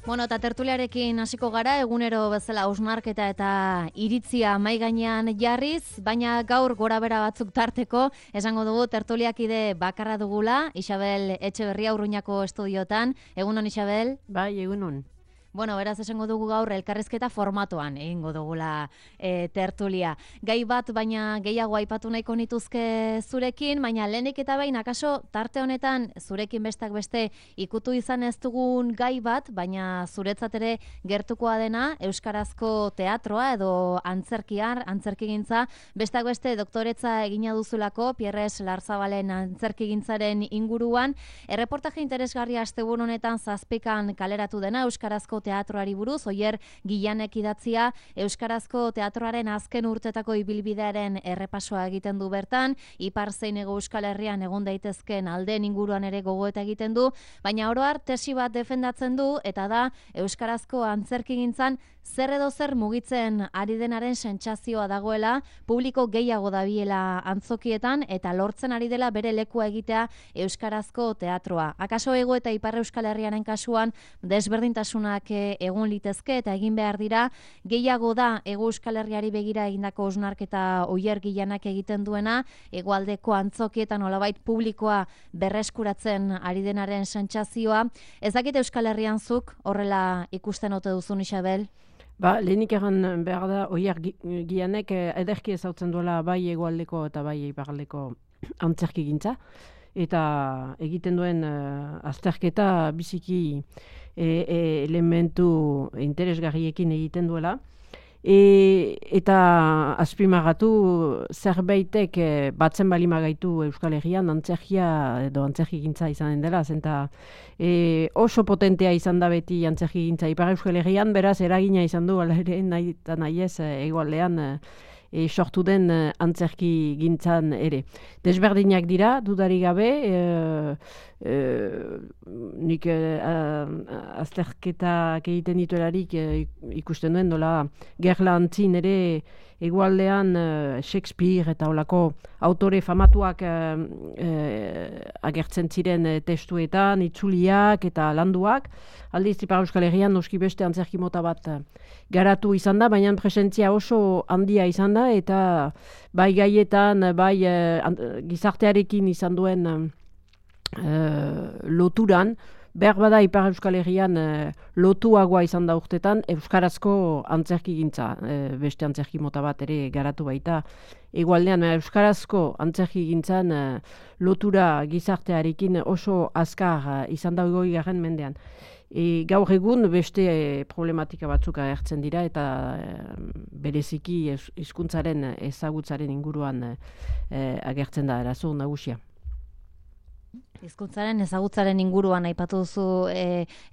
Bueno, eta tertuliarekin hasiko gara, egunero bezala hausnarketa eta iritzia mahai gainean jarriz, baina gaur gorabehera batzuk tarteko, esango dugu tertuliakide bakarra dugula, Isabel Etxeberria Urruñako estudiotan. Egunon, Isabel? Bai, egunon. Bueno, beraz esango dugu gaur elkarrizketa formatoan egingo dugula tertulia. Gai bat baina gehiago aipatu nahiko nituzke zurekin, baina lehenik eta behin akaso tarte honetan zurekin bestak beste ikutu izan ez dugun gai bat, baina zuretzat ere gertukoa dena euskarazko teatroa edo antzerkigintza, bestak beste doktoretza egina duzulako Pierres Larzabalen antzerkigintzaren inguruan, erreportaje interesgarria asteburu honetan 7 kaleratu dena euskarazko teatroari buruz, Oier Gillanek idatzia, euskarazko teatroaren azken urtetako ibilbidearen errepasoa egiten du bertan, ipar zein hego Euskal Herrian egon daitezken aldeen inguruan ere gogoeta egiten du, baina oro har tesi bat defendatzen du, eta da euskarazko antzerkigintzan zer edo zer mugitzen ari denaren sentsazioa dagoela, publiko gehiago dabiela antzokietan, eta lortzen ari dela bere lekua egitea euskarazko teatroa. Akaso hego eta ipar Euskal Herriaren kasuan desberdintasunak egun litezke eta egin behar dira, gehiago da hego Euskal Herriari begira egindako hausnarketa Oier Gillanek egiten duena, hegoaldeko antzokietan nolabait publikoa berreskuratzen ari denaren sentsazioa. Ez dakit Euskal Herrian zuk horrela ikusten ote duzun, Isabel? Lehenik egan behar da, Oier Gillanek ederki ezautzen duela bai hegoaldeko eta bai iparraldeko antzerkigintza, eta egiten duen azterketa biziki elementu interesgarriekin egiten duela, eta azpimagatu zerbaitek batzen balima gaitu Euskal Herrian antzerkia edo antzerkigintza izanen dela, zenta oso potentea izan da beti antzerkigintza Ipar Euskal Herrian, beraz eragina izan du ala ere nahi eta nahi ez hegoaldean sortu den antzerki gintzan ere. Desberdinak dira, dudari gabe, nik azterketak egiten dituelarik ikusten duen, dola gerla antzin ere egualdean Shakespeare eta olako autore famatuak agertzen ziren testuetan, itzuliak eta landuak. Aldiz, Ipar Euskal Herrian noski beste antzerki mota bat garatu izan da, baina presentzia oso handia izan da, eta bai gaietan, bai gizartearekin izan duen loturan, behar bada Ipar Euskal Herrian lotuagoa izan da urtetan, euskarazko antzerkigintza, beste antzerki mota bat ere garatu baita. Egualdean, euskarazko antzerkigintzan lotura gizartearekin oso azkar izan da 20. mendean. Gaur egun beste problematika batzuk agertzen dira eta bereziki hizkuntzaren ezagutzaren inguruan agertzen da arazo nagusia. Hizkuntzaren ezagutzaren inguruan aipatu duzu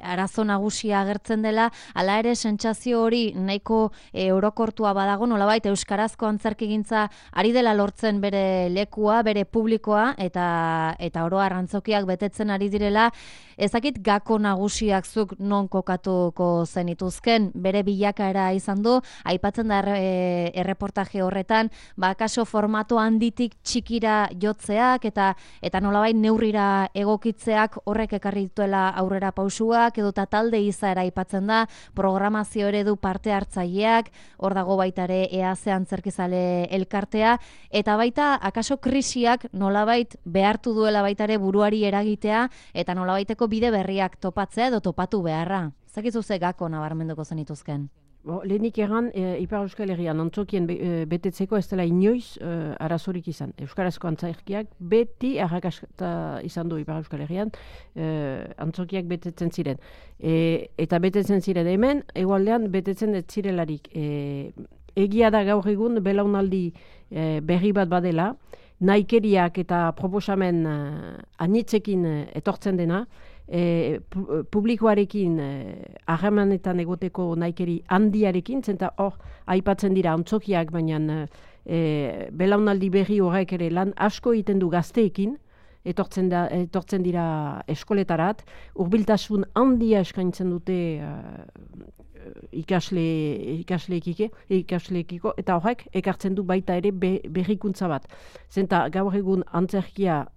arazo nagusia agertzen dela, hala ere sentsazio hori nahiko orokortua badago, nolabait euskarazko antzerkigintza ari dela lortzen bere lekua, bere publikoa, eta oro har antzokiak betetzen ari direla. Ez dakit gako nagusiak zuk non kokatuko zenituzken, bere bilakaera izan du, aipatzen da erreportaje horretan, akaso formato handitik txikira jotzeak eta nolabait neurrira egokitzeak horrek ekarri dituela aurrera pausuak, edota talde izaera aipatzen da, programazio eredu parte hartzaileak, hor dago baita ere EAZ antzerkizale elkartea, eta baita akaso krisiak nolabait behartu duela baita ere buruari eragitea, eta nolabaiteko bide berriak topatzea edo topatu beharra. Zakizu ze gako nabarmenduko zenituzken? Lehenik egan, Ipar Euskal Herrian antzokien betetzeko ez dela inoiz arazorik izan. Euskarazko antzerkiak beti arrakasta izan du Ipar Euskal Herrian, antzokiak betetzen ziren. Eta betetzen ziren hemen, hegoaldean betetzen ez zirelarik. Egia da gaur egun belaunaldi berri bat badela, nahikeriak eta proposamen anitzekin etortzen dena, publikoarekin harremanetan egoteko nahikeri handiarekin, zenta hor aipatzen dira antzokiak, baina belaunaldi berri horrek ere lan asko egiten du gazteekin, etortzen dira eskoletarat, hurbiltasun handia eskaintzen dute ikasleekiko, eta horrek ekartzen du baita ere berrikuntza bat. Zenta gaur egun antzerkia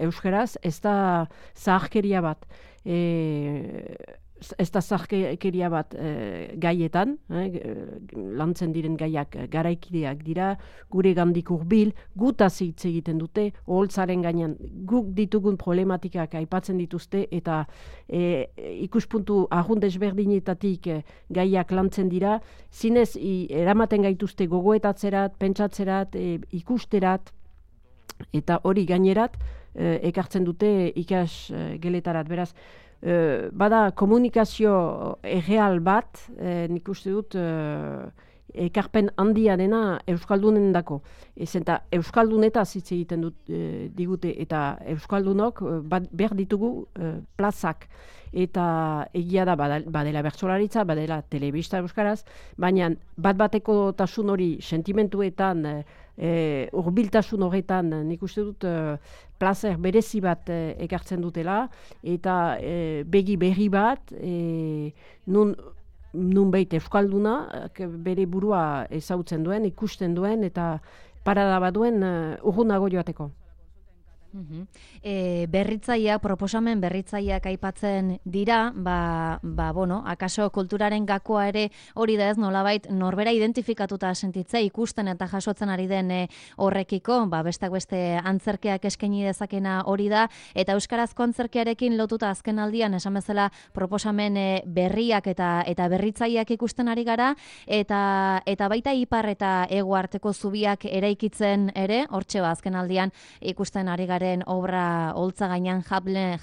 euskaraz, ez da zaharkeria bat. ez da zarkeria bat gaietan, lantzen diren gaiak garaikideak dira, gure gandik hurbil, gutaz hitz egiten dute, oholtzaren gainean guk ditugun problematikak aipatzen dituzte, eta ikuspuntu arrun desberdinetatik gaiak lantzen dira, zinez eramaten gaituzte gogoetatzerat, pentsatzerat, ikusterat, eta hori gainerat ekartzen dute ikas geletarat, beraz, bada komunikazio erreal bat, nik uste dut ekarpen handia dena Euskaldunen dako. Eta Euskaldunetaz hitz egiten digute, eta Euskaldunok behar ditugu plazak. Eta egia da badela bertsolaritza, badela telebista euskaraz, baina bat-bateko tasun hori sentimentuetan, hurbiltasun horretan nik uste dut plazer berezi bat ekartzen dutela, eta begi berri bat, nun behit Euskalduna bere burua ezautzen duen, ikusten duen, eta parada bat duen urrunago joateko. Berritzaileak, proposamen berritzaileak aipatzen dira, bueno, akaso kulturaren gakoa ere hori da ez, nolabait norbera identifikatuta sentitzea ikusten eta jasotzen ari den horrekiko, besteak beste antzerkeak eskaini dezakena hori da, eta euskarazko antzerkearekin lotuta azken aldian esan bezala proposamen berriak eta berritzaileak ikusten ari gara, eta baita ipar eta hego arteko zubiak eraikitzen ere, hortxe azken aldian ikusten ari gara obra holtza gainean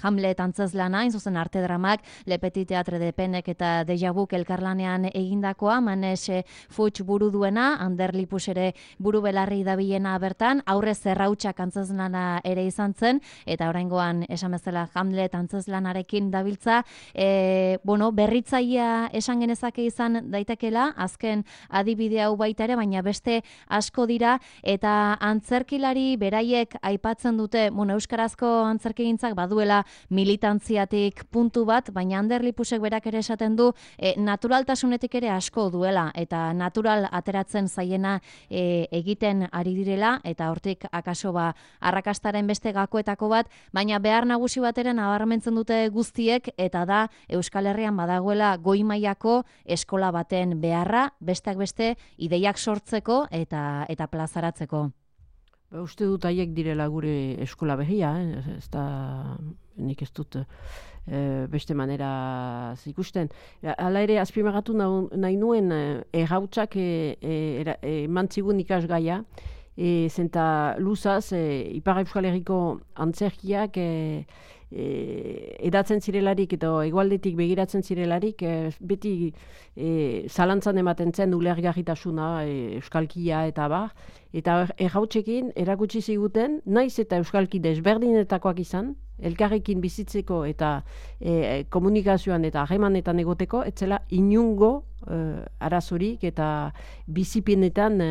Hamlet antzezlana, hain zuzen arte dramak, Le Petit Teatre de Penek eta Deja Vuk elkarlanean egindakoa, Manes Fuchs buru duena, Ander Lipus ere buru belarri dabilena bertan, aurre zerrautxak antzezlana ere izan zen, eta oraingoan esan bezala Hamlet antzezlanarekin dabiltza, bueno, berritzailea esan genezake izan daitekela, azken adibide hau baita ere, baina beste asko dira, eta antzerkilari beraiek aipatzen dute, euskarazko antzerkigintzak baduela militantziatik puntu bat, baina Ander Lipusek berak ere esaten du naturaltasunetik ere asko duela, eta natural ateratzen zaiena egiten ari direla, eta hortik akaso arrakastaren beste gakoetako bat, baina behar nagusi bateren nabarmentzen dute guztiek, eta da Euskal Herrian badagoela goi mailako eskola baten beharra, besteak beste ideiak sortzeko eta plazaratzeko. Uste dut haiek direla gure eskola behia, ez da, nik ez dut beste manera ikusten. Hala ere, azpimagatu nahi nuen errautsak mantzigun ikasgaia, zenta luzaz, Ipar Euskal Herriko antzerkiak edatzen zirelarik eta egualdetik begiratzen zirelarik beti zalantzan ematen zen ulergarritasuna, euskalkia eta eta errautsekin erakutsi ziguten, naiz eta euskalki desberdinetakoak izan, elkarrekin bizitzeko eta komunikazioan eta harremanetan egoteko, etzela inungo arazorik eta bizipenetan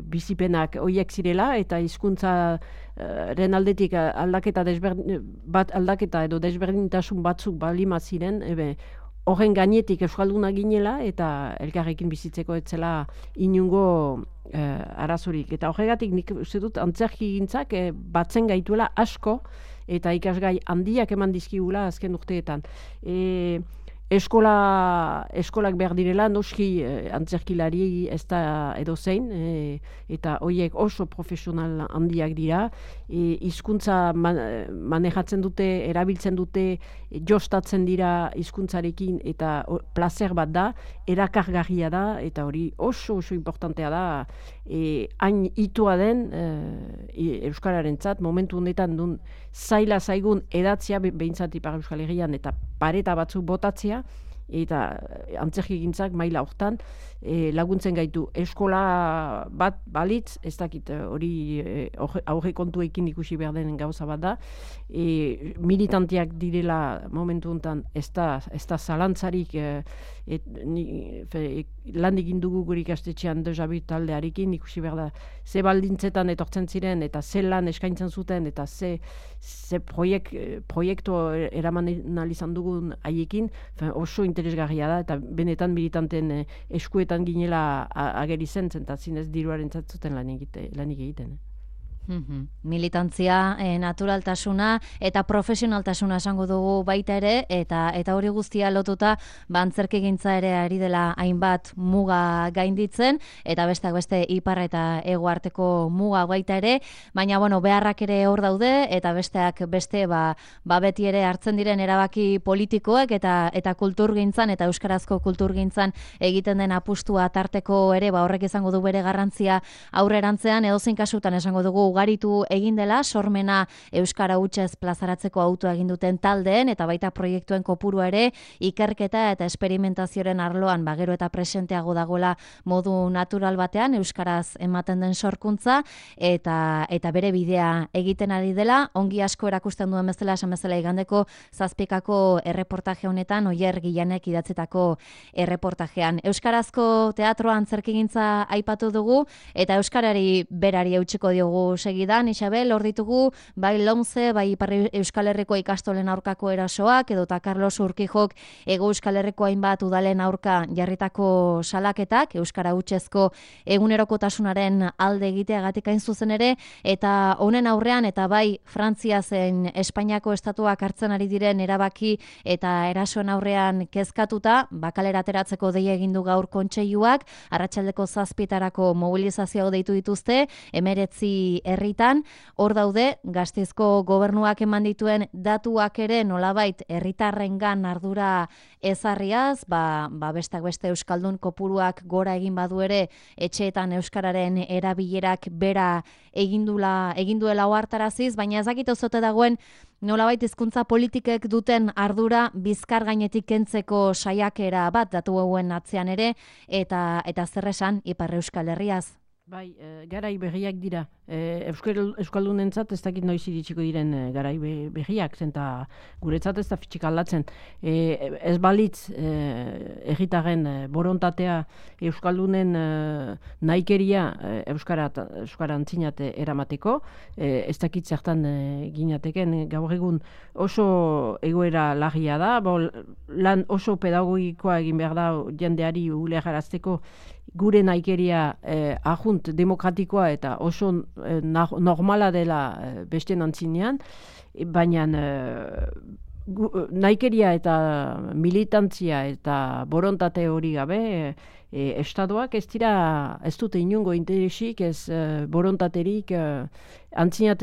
bizipenak horiek zirela, eta hizkuntzaren aldetik aldaketa edo desberdintasun batzuk balima ziren, horren gainetik euskalduna ginela eta elkarrekin bizitzeko etzela inungo arazorik. Eta horregatik nik uste dut antzerkigintzak batzen gaituela asko, eta ikasgai handiak eman dizkigula azken urteetan. Eskolak behar direla, noski antzerkilari ez da edozein, eta horiek oso profesional handiak dira, hizkuntza manejatzen dute, erabiltzen dute, jostatzen dira hizkuntzarekin, eta plazer bat da, erakargarria da, eta hori oso importantea da, hain itua den euskararentzat, momentu honetan duen zaila zaigun edatzea behintzat Ipar Euskal Herrian, eta pareta batzuk botatzea, eta antzerkigintzak maila hortan laguntzen gaitu. Eskola bat balitz, ez dakit hori aurre kontuekin ikusi behar den gauza bat da, militantiak direla momentu honetan ez da zalantzarik, lan egin dugu gure ikastetxean Deja Vu taldearekin, ikusi behar da ze baldintzetan etortzen ziren, eta ze lan eskaintzen zuten, eta ze proiektu eraman izan dugun haiekin, oso interesgarria da, eta benetan militanten eskuetan ginela ageri zen, eta zinez diruaren zatzuten lan egiten. Militantzia, naturaltasuna eta profesionaltasuna esango dugu baita ere, eta hori guztia lotuta antzerkigintza ere ari dela hainbat muga gainditzen, eta besteak beste ipar eta hego arteko muga baita ere, baina beharrak ere hor daude, eta besteak beste beti ere hartzen diren erabaki politikoek eta kulturgintzan eta euskarazko kulturgintzan egiten den apustua tarteko ere horrek izango du bere garrantzia aurrerantzean, edozein kasutan esango dugu ugaritu egin dela, sormena euskara hutsez plazaratzeko autua egin duten taldeen eta baita proiektuen kopurua ere ikerketa eta esperimentazioaren arloan gero eta presenteago dagoela modu natural batean euskaraz ematen den sorkuntza eta bere bidea egiten ari dela, ongi asko erakusten duen bezala esan bezala igandeko 7 erreportaje honetan Oier Gillanek idatzetako erreportajean. Euskarazko teatroa antzerkigintza aipatu dugu eta euskarari berari eutsiko diogu segidan, Isabel, hor ditugu, bai Lomze, bai Ipar Euskal Herriko ikastolen aurkako erasoak, edota Carlos Urquijok Hego Euskal Herriko hainbat udalen aurka jarritako salaketak, euskara hutsezko egunerokotasunaren alde egiteagatik hain zuzen ere, eta honen aurrean, eta bai Frantzia zen Espainiako estatuak hartzen ari diren erabaki eta erasoen aurrean kezkatuta, bakalera ateratzeko deia egin du gaur kontseiluak, arratsaldeko 7etarako mobilizazioa deitu dituzte, 19 herritan, hor daude Gasteizko gobernuak eman dituen datuak ere nolabait herritarrengan ardura ezarriaz, bestak beste euskaldun kopuruak gora egin badu ere etxeetan euskararen erabilerak bera egin duela ohartaraziz, baina ez dakit ozote dagoen nolabait hizkuntza politikek duten ardura bizkar gainetik kentzeko saiakera bat datu hauen atzean ere, eta zer esan Ipar Euskal Herriaz. Bai, garai berriak dira. Euskaldunentzat ez dakit noiz iritsiko diren garai berriak, zenta guretzat ez da fitxik aldatzen. Ez balitz herritarren borontatea euskaldunen nahikeria euskara antzinat eramateko, ez dakit zertan ginateken gaur egun oso egoera larria da, lan oso pedagogikoa egin behar da jendeari ulegarazteko gure nahikeria ajunt demokratikoa eta oso normala dela besten antzinean, baina nahikeria eta militantzia eta borontate hori gabe estatuak ez dute inungo interesik, ez borontaterik antzinat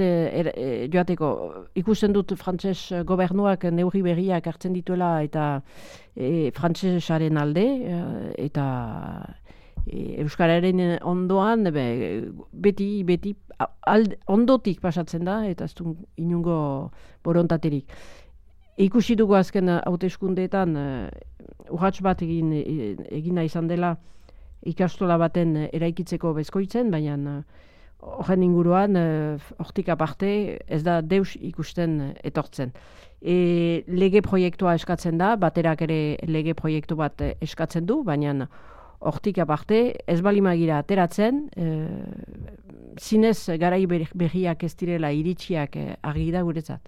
joateko. Ikusten dut frantses gobernuak neurri berriak hartzen dituela eta frantsesaren alde eta euskararen ondoan beti ondotik pasatzen da eta ez du inungo borontaterik. Ikusi dugu azken hauteskundeetan urrats bat egina izan dela ikastola baten eraikitzeko bezkoitzen, baina horren inguruan hortik aparte ez da deus ikusten etortzen. Lege proiektua eskatzen da, baterak ere lege proiektu bat eskatzen du, baina hortik aparte, ez balimagira ateratzen, zinez garai berriak ez direla iritsiak argi da guretzat.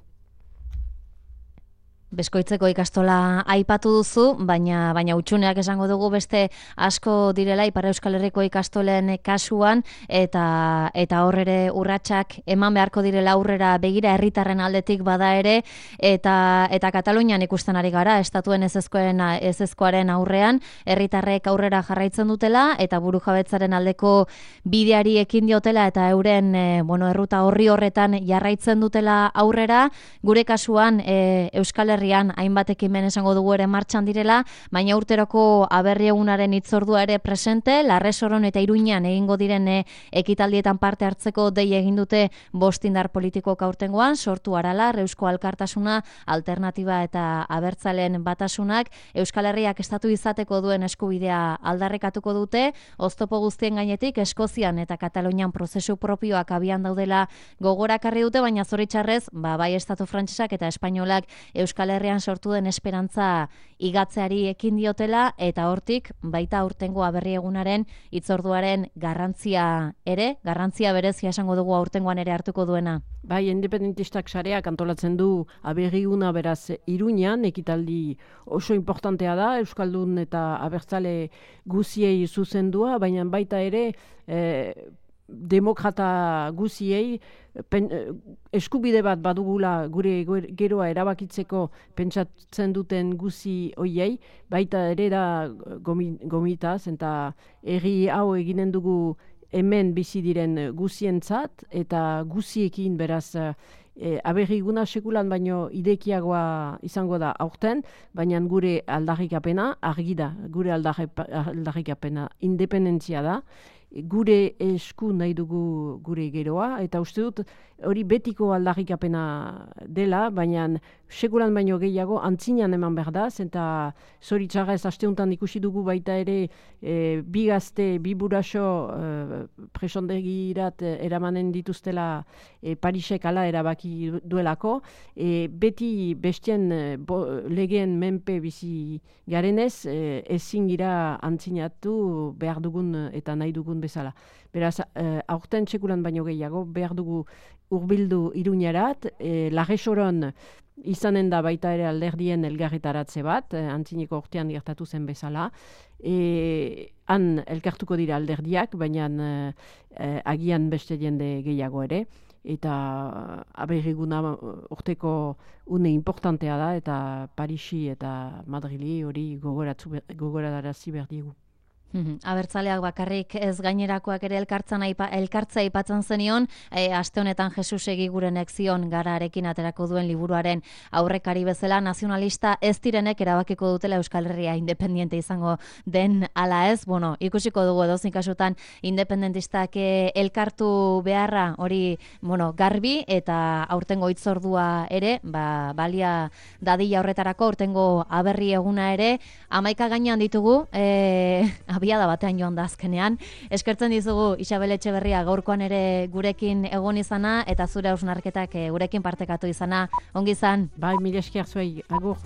Beskoitzeko ikastola aipatu duzu, baina utxuneak esango dugu beste asko direla Ipar Euskal Herriko ikastolen kasuan eta hor ere urratsak eman beharko direla aurrera begira herritarren aldetik bada ere eta Katalunian ikusten ari gara estatuen ezezkoaren aurrean herritarrek aurrera jarraitzen dutela eta burujabetzaren aldeko bideari ekin diotela eta euren erruta horri horretan jarraitzen dutela aurrera. Gure kasuan Euskal Herrian hainbat ekimen esango dugu ere martxan direla, baina urteroko aberri egunaren hitzordua ere presente, Larresoron eta Iruñan egingo diren ekitaldietan parte hartzeko dei egin dute 5 indar politikok aurtengoan, Sortu Aralar, Eusko Alkartasuna, Alternatiba eta Abertzalen Batasunak Euskal Herriak estatu izateko duen eskubidea aldarrikatuko dute, oztopo guztien gainetik Eskozian eta Katalunian prozesu propioak abian daudela gogorakarri dute, baina zoritxarrez, bai estatu frantsesak eta espainolak Euskal Herrian sortu den esperantza igatzeari ekin diotela eta hortik baita aurtengo aberri egunaren hitzorduaren garrantzia berezia esango dugu aurtengoan ere hartuko duena. Bai, independentistak sareak antolatzen du aberriuna beraz Iruñan, ekitaldi oso importantea da, Euskaldun eta Abertzale guziei zuzendua, baina baita ere demokrata guziei eskubide bat badugula gure geroa erabakitzeko pentsatzen duten guzi hoiei, baita ere da gomitaz, eta herri hau eginen dugu hemen bizi diren guzientzat, eta guziekin beraz aberriguna sekulan baino idekiagoa izango da aurten, baina gure aldarrikapena argi da, gure aldarrikapena independentzia da, gure esku nahi dugu gure geroa, eta uste dut hori betiko aldarrikapena dela, baina sekulan baino gehiago antzinean eman behar da, eta zoritxarrez asteuntan ikusi dugu baita ere bi gazte, bi buraxo presondegirat eramanen dituztela Parisek ala erabaki duelako, beti bestien legeen menpe bizi garenez, ezin gira antzinatu behar dugun eta nahi dugun bezala. Beraz, aurten txekulan baino gehiago, behar dugu hurbildu Iruñarat, Larresoron izanen da baita ere alderdien elgarretaratze bat, antzineko urtean gertatu zen bezala. Han elkartuko dira alderdiak, baina agian beste jende gehiago ere, eta aberriguna urteko une importantea da, eta Parisi eta Madrili hori gogorarazi behar diegu. Abertzaleak bakarrik ez gainerakoak ere elkartzea aipatzen zenion, aste honetan Jesus Egigurenek zion Gararekin aterako duen liburuaren aurrekari bezala, nazionalista ez direnek erabakiko dutela Euskal Herria independiente izango den ala ez. Bueno, ikusiko dugu edozein kasutan independentistak elkartu beharra hori garbi, eta aurtengo hitzordua ere, balia dadila horretarako, aurtengo aberri eguna ere 11 gainean ditugu, abiada batean joan da azkenean. Eskertzen dizugu Isabel Etxeberria gaurkoan ere gurekin egon izana, eta zure hausnarketak gurekin partekatu izana. Ongi izan. Bai, mila esker zuei, agur.